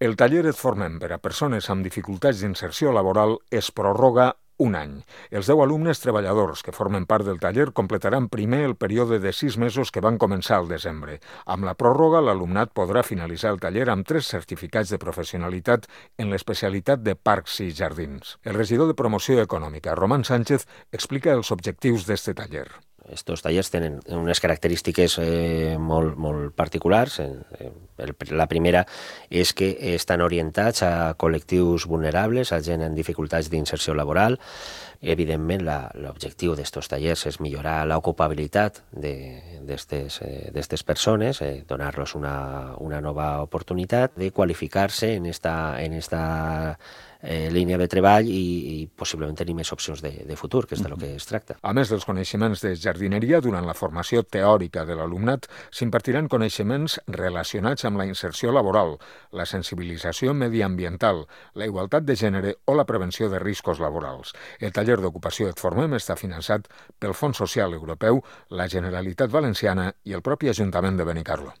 El taller Et Formem per a persones amb dificultats d'inserció laboral es prorroga un any. Els 10 alumnes treballadors que formen part del taller completaran primer el període de 6 mesos que van començar al desembre. Amb la pròrroga, l'alumnat podrà finalitzar el taller amb 3 certificats de professionalitat en l'especialitat de parcs i jardins. El regidor de Promoció Econòmica, Román Sánchez, explica els objectius d'este taller. Estos tallers tenen unes característiques molt particulars. La primera és que estan orientats a col·lectius vulnerables, a gent en dificultats d'inserció laboral. Evidentment, l'objectiu d'estos tallers és millorar l'ocupabilitat d'estes persones, donar-los una nova oportunitat de qualificar-se en esta línia de treball i possiblement tenir més opcions de futur, que és del que es tracta. A més dels coneixements de jardineria, durant la formació teòrica de l'alumnat s'impartiran coneixements relacionats amb la inserció laboral, la sensibilització mediambiental, la igualtat de gènere o la prevenció de riscos laborals. El taller d'ocupació Et Formem està finançat pel Fons Social Europeu, la Generalitat Valenciana i el propi Ajuntament de Benicarló.